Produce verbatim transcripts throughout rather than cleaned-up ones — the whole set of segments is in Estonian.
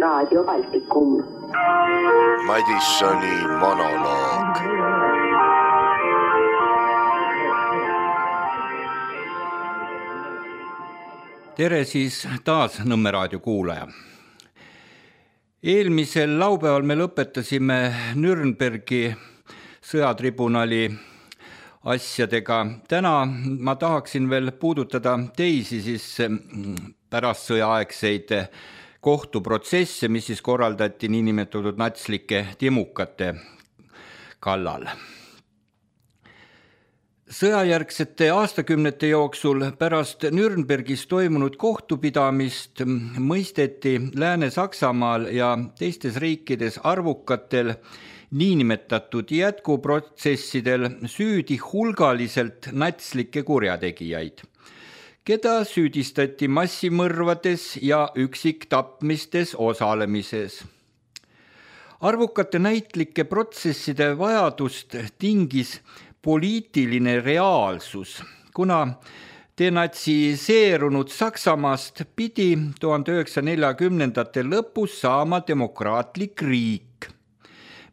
Raadio Baltikum. Madissoni monoloog. Tere siis taas Nõmme raadio kuulaja. Eelmisel laupäeval me lõpetasime Nürnbergi sõjatribunali asjadega. Täna ma tahaksin veel puudutada teisi siis pärast sõjaaegseid kohtuprotsesse, mis siis korraldati niinimetatud natslike timukate kallal. Sõjajärgsete aastakümnete jooksul pärast Nürnbergis toimunud kohtupidamist mõisteti Lääne-Saksamaal ja teistes riikides arvukatel niinimetatud jätkuprotsessidel süüdi hulgaliselt natslikke kurjategijaid, keda süüdistati massimõrvades ja üksiktapmistes osalemises. Arvukate näitlike protsesside vajadust tingis poliitiline reaalsus, kuna denatsiseerunud Saksamaast pidi tuhande üheksasaja neljakümnendate lõpus saama demokraatlik riik,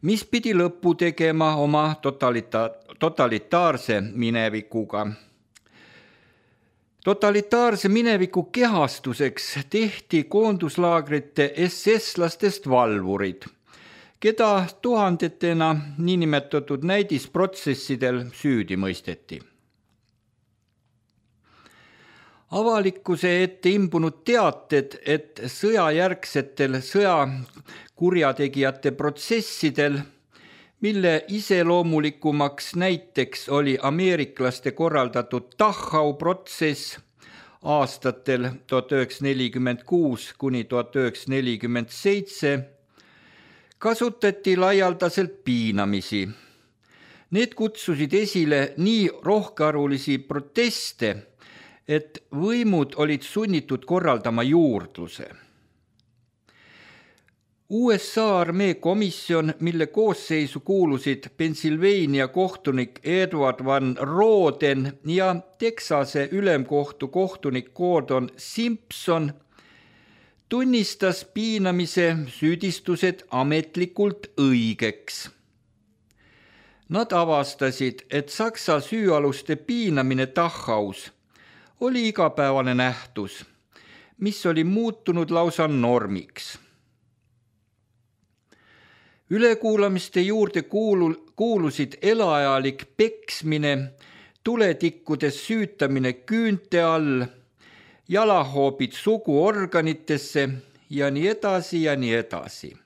mis pidi lõppu tegema oma totalita- totalitaarse minevikuga. Totalitaarse mineviku kehastuseks tehti koonduslaagrite S S-lastest valvurid, keda tuhandetena niinimetatud näidisprotsessidel süüdi mõisteti. Avalikkuse ette imbunud teated, et sõjajärgsetel sõjakurjategijate protsessidel, mille iseloomulikumaks näiteks oli ameeriklaste korraldatud Dachau protsess aastatel tuhat üheksasada nelikümmend kuus kuni tuhat üheksasada nelikümmend seitse, kasutati laialdaselt piinamisi. Need kutsusid esile nii rohkearvulisi proteste, et võimud olid sunnitud korraldama juurdluse. U S A armee komisjon, mille koosseisu kuulusid Pennsylvania kohtunik Edward Van Roden ja Texase ülemkohtu kohtunik Gordon Simpson, tunnistas piinamise süüdistused ametlikult õigeks. Nad avastasid, et Saksa süüaluste piinamine Dachaus oli igapäevane nähtus, mis oli muutunud lausa normiks. Ülekuulamiste juurde kuulu, kuulusid elaajalik peksmine, tuletikkudes süütamine küünte all, jalahoobid suguorganitesse ja nii edasi ja nii edasi.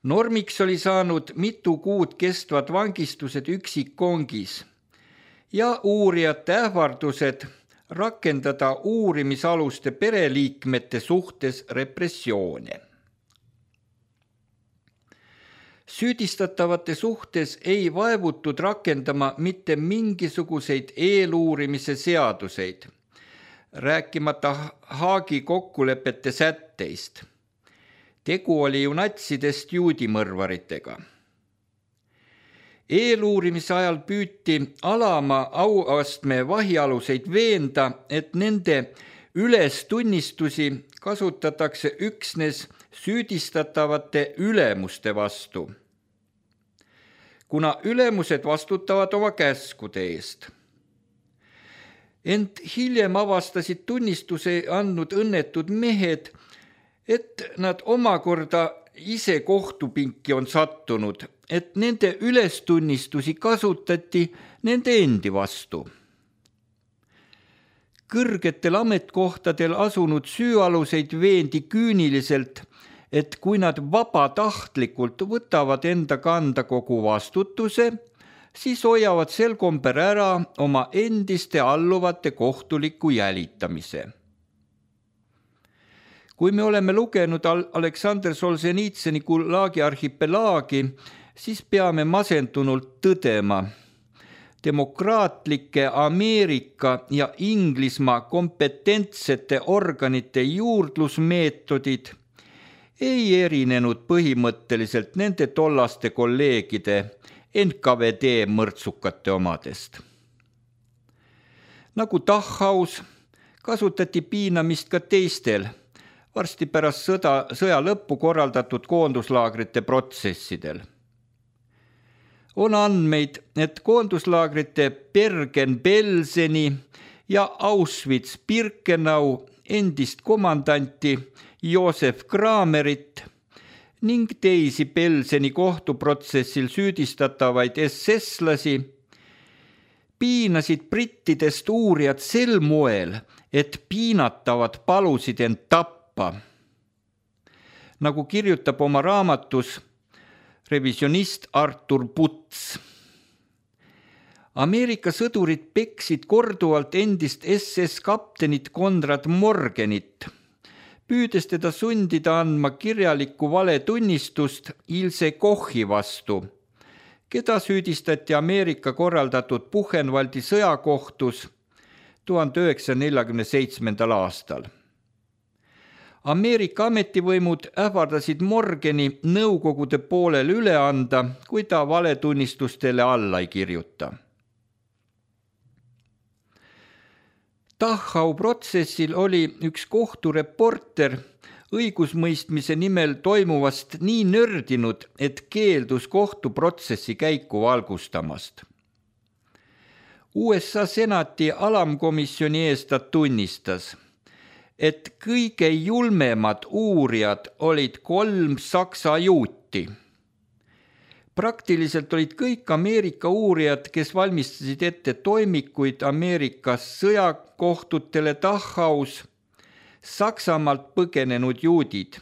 Normiks oli saanud mitu kuud kestvad vangistused üksikkongis ja uurijate ähvardused rakendada uurimisaluste pereliikmete suhtes repressioone. Süüdistatavate suhtes ei vaevutud rakendama mitte mingisuguseid eeluurimise seaduseid, rääkimata Haagi kokkulepete sätteist. Tegu oli ju natsidest juudimõrvaritega. Eeluurimise ajal püüti alama auastme vahialuseid veenda, et nende ülestunnistusi kasutatakse üksnes süüdistatavate ülemuste vastu, kuna ülemused vastutavad oma käskude eest. Ent hiljem avastasid tunnistuse andnud õnnetud mehed, et nad omakorda ise kohtupinki on sattunud, et nende ülestunnistusi kasutati nende endi vastu. Kõrgetel ametkohtadel asunud süüaluseid veendi küüniliselt, et kui nad vabatahtlikult võtavad enda kanda kogu vastutuse, siis hoiavad sel komber ära oma endiste alluvate kohtuliku jälitamise. Kui me oleme lugenud Aleksander Solženitsõni Gulagi arhipelaagi, siis peame masendunult tõdema, demokraatlike Ameerika ja Inglismaa kompetentsete organite juurdlusmeetodid ei erinenud põhimõtteliselt nende tollaste kolleegide N K V D mõrtsukate omadest. Nagu Dachaus kasutati piinamist ka teistel varsti pärast sõda, sõja lõppu korraldatud koonduslaagrite protsessidel. On andmeid, et koonduslaagrite Bergen-Belseni ja Auschwitz-Birkenau endist komandanti Josef Kramerit ning teisi Belseni kohtuprotsessil süüdistatavaid SS-lasi piinasid brittidest uurijad sel moel, et piinatavad palusid end tappa. Nagu kirjutab oma raamatus revisionist Artur Puts. Ameerika sõdurid peksid korduvalt endist S S kaptenit Konrad Morgenit, püüdes teda sundida andma kirjalikku valetunnistust Ilse Kochi vastu, keda süüdistati Ameerika korraldatud Buchenwaldi sõjakohtus tuhande üheksasaja neljakümne seitsmendal aastal. Ameerika ametivõimud ähvardasid Morgeni nõukogude poolel üle anda, kui ta valetunnistustele alla ei kirjuta. Dachau protsessil oli üks kohtureporter õigusmõistmise nimel toimuvast nii nördinud, et keeldus kohtuprotsessi käiku valgustamast. U S A senati alamkomisjoni ees ta tunnistas, et kõige julmemad uurijad olid kolm saksa juuti. Praktiliselt olid kõik Ameerika uurijad, kes valmistasid ette toimikuid Ameerikas sõjakohtutele Dachaus, Saksamaalt põgenenud juudid,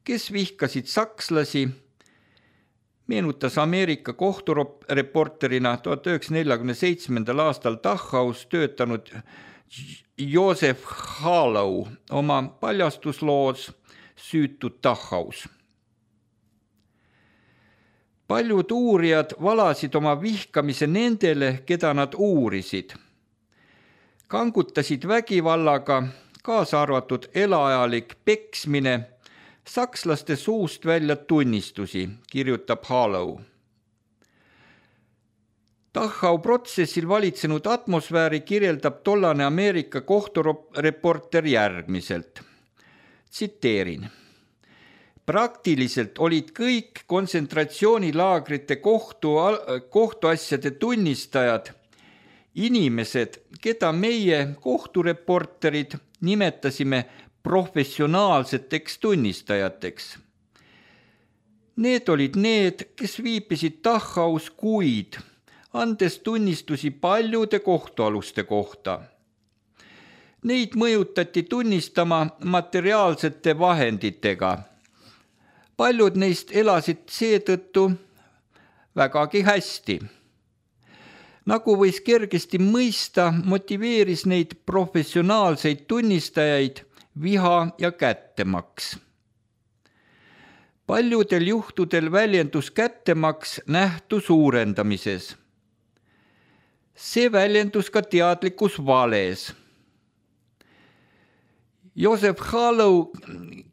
kes vihkasid sakslasi, meenutas Ameerika kohtureporterina tuhat üheksasaja neljakümne seitsmendal aastal Dachaus töötanud Joseph Harlow oma paljastusloos Süütud Dachaus. Paljud uurijad valasid oma vihkamise nendele, keda nad uurisid. Kangutasid vägivallaga, kaasa arvatud elaajalik peksmine, sakslaste suust välja tunnistusi, kirjutab Harlow. Dachau protsessil valitsenud atmosfääri kirjeldab tollane Ameerika kohtureporter järgmiselt. Tsiteerin. Praktiliselt olid kõik kontsentratsioonilaagrite kohtu, kohtuasjade tunnistajad inimesed, keda meie kohtureporterid nimetasime professionaalseteks tunnistajateks. Need olid need, kes viibisid Dachaus kuid, andes tunnistusi paljude kohtualuste kohta. Neid mõjutati tunnistama materiaalsete vahenditega. Paljud neist elasid seetõttu vägagi hästi. Nagu võis kergesti mõista, motiveeris neid professionaalseid tunnistajaid viha ja kättemaks. Paljudel juhtudel väljendus kättemaks nähtu suurendamises. See väljendus ka teadlikus vales. Joseph Harlow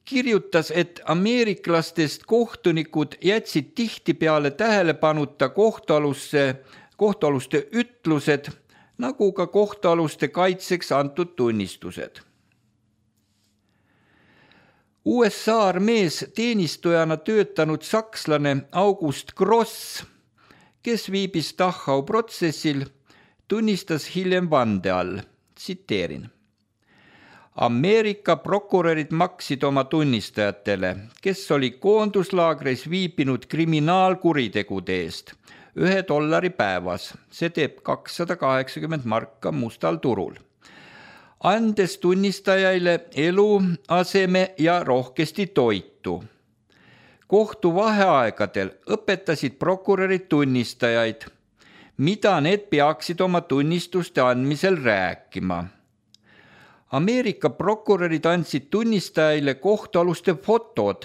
kirjutas, et ameeriklastest kohtunikud jätsid tihtipeale tähelepanuta kohtualuste, kohtualuste ütlused, nagu ka kohtualuste kaitseks antud tunnistused. U S A armees teenistujana töötanud sakslane August Gross, kes viibis Dachau protsessil, tunnistas hiljem vande all, tsiteerin. Ameerika prokurörid maksid oma tunnistajatele, kes oli koonduslaagris viibinud kriminaalkuritegude eest, ühe dollari päevas, see teeb kakssada kaheksakümmend marka mustal turul, andes tunnistajaile elu, aseme ja rohkesti toitu. Kohtu vaheaegadel õpetasid prokurörid tunnistajaid, mida need peaksid oma tunnistuste andmisel rääkima. Ameerika prokurörid andsid tunnistajaile kohtualuste fotod,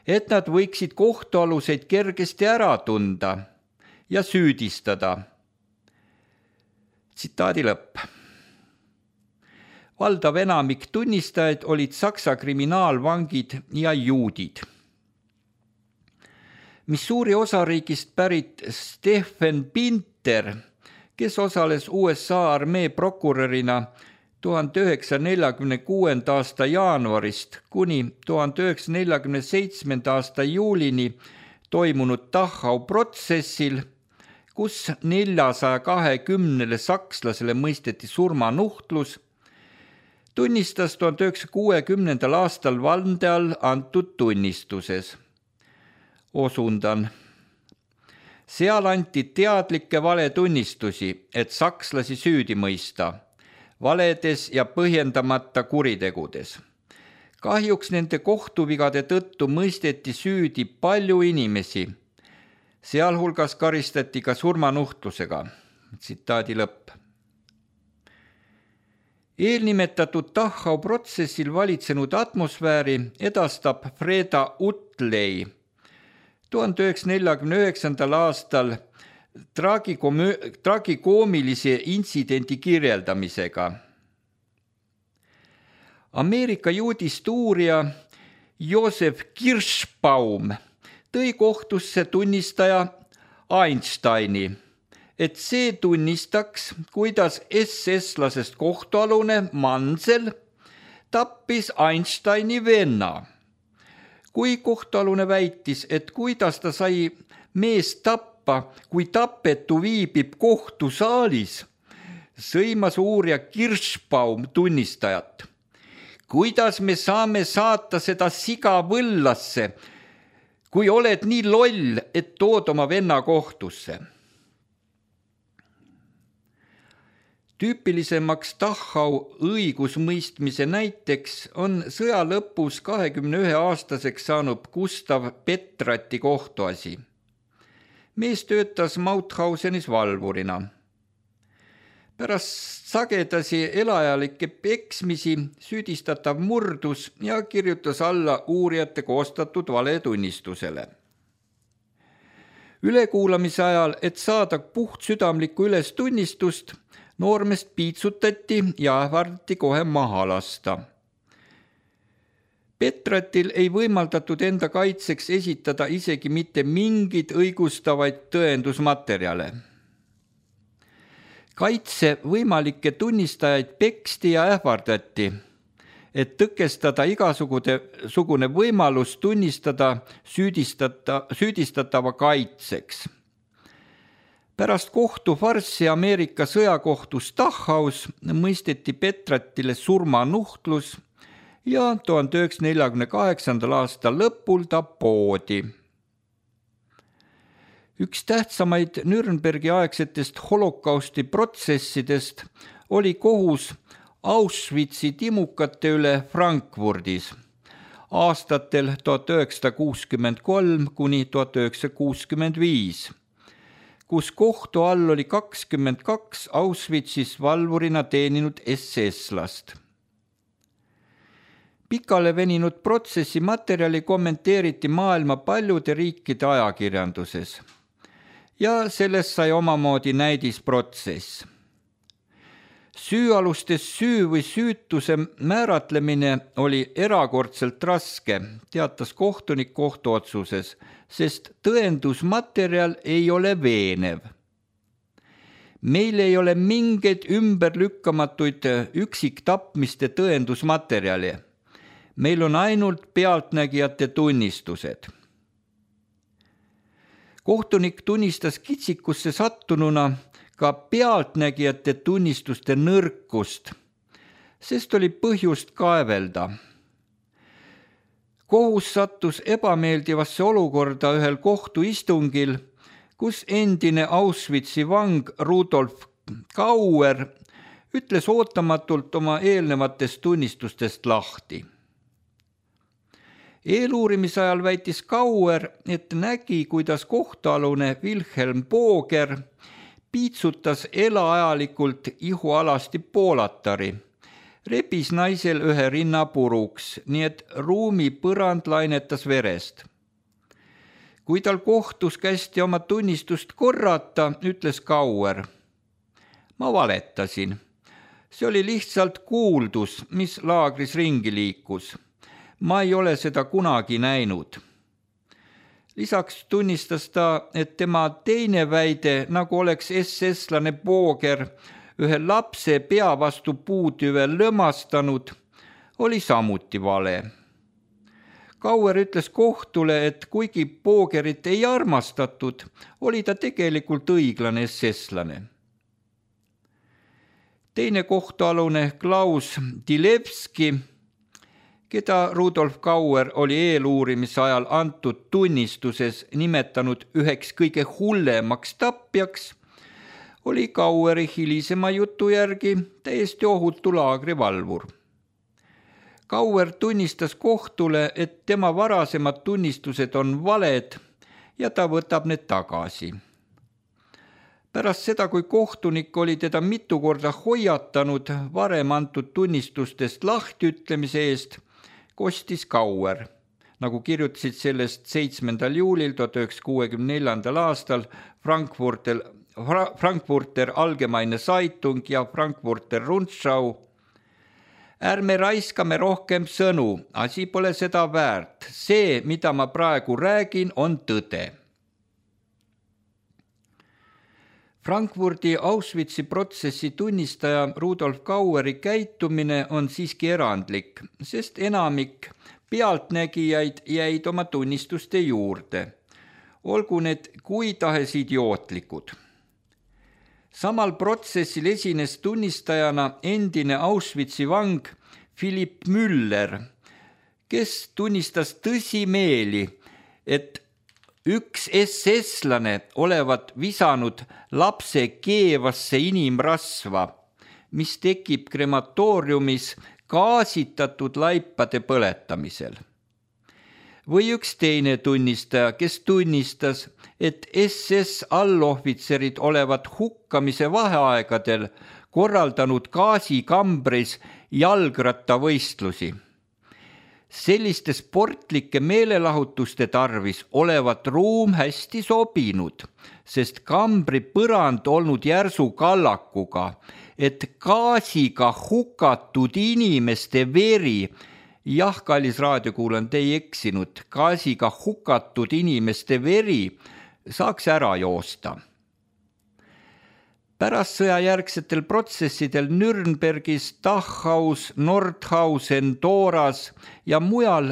et nad võiksid kohtualuseid kergesti ära tunda ja süüdistada. Tsitaadi lõpp. Valdav enamik tunnistajaid olid Saksa kriminaalvangid ja juudid. Missouri osariigist pärit Stephen Pinter, kes osales U S A armee prokurörina tuhande üheksasaja neljakümne kuuenda aasta jaanuarist kuni tuhande üheksasaja neljakümne seitsmenda aasta juulini toimunud Dachau protsessil, kus neljasaja kahekümnele sakslasele mõisteti surmanuhtlus, tunnistas tuhande üheksasaja kuuekümnendal aastal vande all antud tunnistuses. Osundan. Seal anti teadlikke valetunnistusi, et sakslasi süüdi mõista, valedes ja põhjendamata kuritegudes. Kahjuks nende kohtuvigade tõttu mõisteti süüdi palju inimesi, sealhulgas karistati ka surmanuhtlusega. Tsitaadi lõpp. Eelnimetatud Dachau protsessil valitsenud atmosfääri edastab Freda Utley tuhande üheksasaja neljakümne üheksandal aastal tragikoomilise intsidendi kirjeldamisega. Ameerika juudist uurija Josef Kirschbaum tõi kohtusse tunnistaja Einsteini, et see tunnistaks, kuidas S S-lasest kohtualune Mansel tappis Einsteini venna. Kui kohtualune väitis, et kuidas ta sai mees tappa, kui tapetu viibib kohtusaalis, sõimas uurija Kirschbaum tunnistajat. Kuidas me saame saata seda siga võllasse, kui oled nii loll, et tood oma venna kohtusse? Tüüpilisemaks Dachau õigusmõistmise näiteks on sõja lõpus kahekümne ühe aastaseks saanud Gustav Petrati kohtuasi. Mees töötas Mauthausenis valvurina. Pärast sagedasi elajalikke peksmisi süüdistatav murdus ja kirjutas alla uurijate koostatud valetunnistusele. Ülekuulamise ajal, et saada puhtsüdamlikku ülestunnistust, noormest piitsutati ja ähvardati kohe maha lasta. Petratil ei võimaldatud enda kaitseks esitada isegi mitte mingid õigustavaid tõendusmaterjale. Kaitse võimalikke tunnistajaid peksti ja ähvardati, et tõkestada igasugune võimalus tunnistada süüdistata, süüdistatava kaitseks. Pärast kohtufarssi Ameerika sõjakohtus Dachaus mõisteti Petratile surmanuhtlus ja tuhande üheksasaja neljakümne kaheksandal aastal lõpul ta poodi. Üks tähtsamaid Nürnbergi aegsetest holokausti protsessidest oli kohus Auschwitzi timukate üle Frankfurdis aastatel tuhat üheksasada kuuskümmend kolm kuni tuhat üheksasada kuuskümmend viis, kus kohtu all oli kakskümmend kaks Auschwitzis valvurina teeninud S S-last. Pikale veninud protsessi materjali kommenteeriti maailma paljude riikide ajakirjanduses ja sellest sai omamoodi näidisprotsess. Süüalustes süü või süütuse määratlemine oli erakordselt raske, teatas kohtunik kohtuotsuses, sest tõendusmaterjal ei ole veenev. Meil ei ole mingeid ümberlükkamatuid üksiktapmiste tõendusmaterjali. Meil on ainult pealtnägijate tunnistused. Kohtunik tunnistas kitsikusse sattununa ka pealtnägijate tunnistuste nõrkust, sest oli põhjust kaevelda. Kohus sattus ebameeldivasse olukorda ühel kohtuistungil, kus endine Auschwitzi vang Rudolf Kauer ütles ootamatult oma eelnevatest tunnistustest lahti. Eeluurimise ajal väitis Kauer, et nägi, kuidas kohtualune Wilhelm Booger piitsutas elaajalikult ihualasti poolatari, rebis naisel ühe rinna puruks, nii et ruumi põrand lainetas verest. Kui tal kohtus kästi oma tunnistust korrata, ütles Kauer: ma valetasin. See oli lihtsalt kuuldus, mis laagris ringi liikus. Ma ei ole seda kunagi näinud. Lisaks tunnistas ta, et tema teine väide, nagu oleks S S-lane Booger ühe lapse pea vastu puutüve lömastanud, oli samuti vale. Kauer ütles kohtule, et kuigi Poogerit ei armastatud, oli ta tegelikult õiglane S S-lane. Teine kohtualune Klaus Dilevski, keda Rudolf Kauer oli eeluurimise ajal antud tunnistuses nimetanud üheks kõige hullemaks tapjaks, oli Kaueri hilisema jutu järgi täiesti ohutu laagrivalvur. Kauer tunnistas kohtule, et tema varasemad tunnistused on valed ja ta võtab need tagasi. Pärast seda, kui kohtunik oli teda mitu korda hoiatanud varem antud tunnistustest lahtiütlemise eest, kostis Kauer, nagu kirjutasid sellest seitsmendal juulil tuhat üheksasada kuuekümne neljandal aastal Frankfurter, Frankfurter Allgemeine Zeitung ja Frankfurter Rundschau. Ärme raiskame rohkem sõnu, asi pole seda väärt. See, mida ma praegu räägin, on tõde. Frankfurdi Auschwitzi protsessi tunnistaja Rudolf Kaueri käitumine on siiski erandlik, sest enamik pealtnägijaid jäid oma tunnistuste juurde. Olgu need kui tahes idiootlikud. Samal protsessil esines tunnistajana endine Auschwitzi vang Philipp Müller, kes tunnistas tõsimeeli, et üks S S-lane olevat visanud lapse keevasse inimrasva, mis tekib krematooriumis gaasitatud laipade põletamisel. Või üks teine tunnistaja, kes tunnistas, et S S allohvitserid olevat hukkamise vaheaegadel korraldanud gaasikambris jalgrattavõistlusi. Selliste sportlike meelelahutuste tarvis olevat ruum hästi sobinud, sest kambri põrand olnud järsu kallakuga, et gaasiga hukatud inimeste veri, jah, kallis raadiokuulajad, ei eksinud, gaasiga hukatud inimeste veri saaks ära joosta. Pärast sõjajärgsetel protsessidel Nürnbergis, Dachhaus, Nordhausen, Doras ja mujal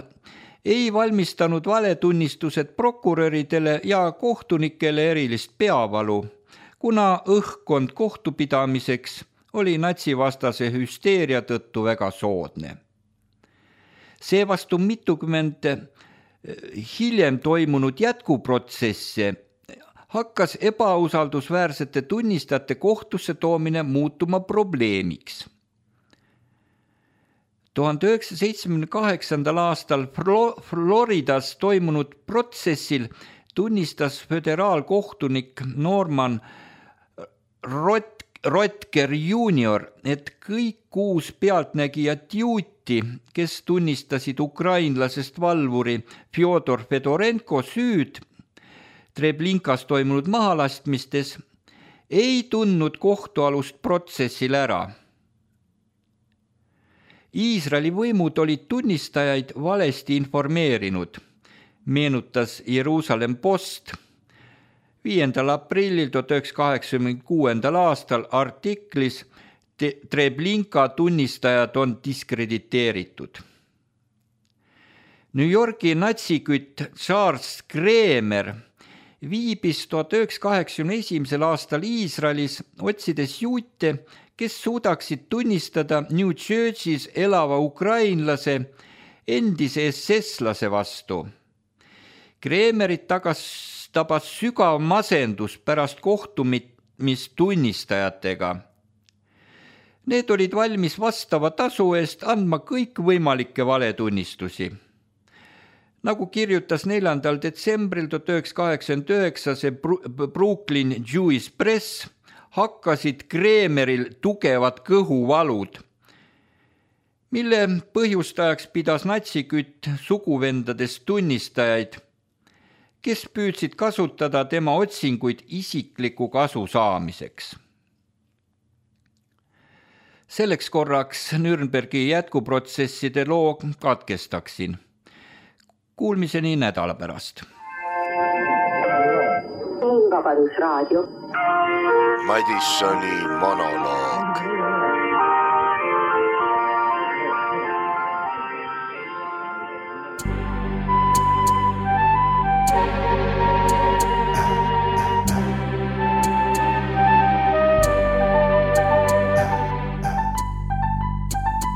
ei valmistanud valetunnistused prokuröridele ja kohtunikele erilist peavalu, kuna õhkkond kohtupidamiseks oli natsivastase hüsteeria tõttu väga soodne. Seevastu mitukümmend hiljem toimunud jätkuprotsesse hakkas ebausaldusväärsete tunnistajate kohtusse toomine muutuma probleemiks. tuhande üheksasaja seitsmekümne kaheksandal aastal Floridas toimunud protsessil tunnistas föderaalkohtunik Norman Rot- Rotker junior, et kõik kuus pealtnägijat juuti, kes tunnistasid ukrainlasest valvuri Fjodor Fedorenko süüd Treblinkas toimunud mahalastmistes, ei tundnud kohtualust protsessil ära. Iisraeli võimud olid tunnistajaid valesti informeerinud, meenutas Jeruusalemm Post viiendal aprillil tuhat üheksasada kaheksakümne kuuendal aastal artiklis Treblinka tunnistajad on diskrediteeritud. New Yorgi natsikütt Charles Kremer viibis tuhat üheksasada kaheksakümne esimesel aastal Iisraelis, otsides juute, kes suudaksid tunnistada New Jersey's elava ukrainlase endise S S-lase vastu. Kremerit tagas tabas sügav masendus pärast kohtumist tunnistajatega. Need olid valmis vastava tasu eest andma kõikvõimalikke valetunnistusi. Nagu kirjutas neljandal detsembril tuhat üheksasada kaheksakümmend üheksa see Brooklyn Jewish Press, hakkasid Kremeril tugevad kõhuvalud, mille põhjustajaks pidas natsikütt suguvendadest tunnistajaid, kes püüdsid kasutada tema otsinguid isikliku kasu saamiseks. Selleks korraks Nürnbergi jätkuprotsesside loo katkestaksin. Kuulmiseni nädala pärast. Vabadusraadio. Madisoni monoloog.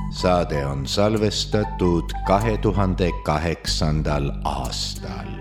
Saade on salvestatud kahe tuhande kaheksandal aastal.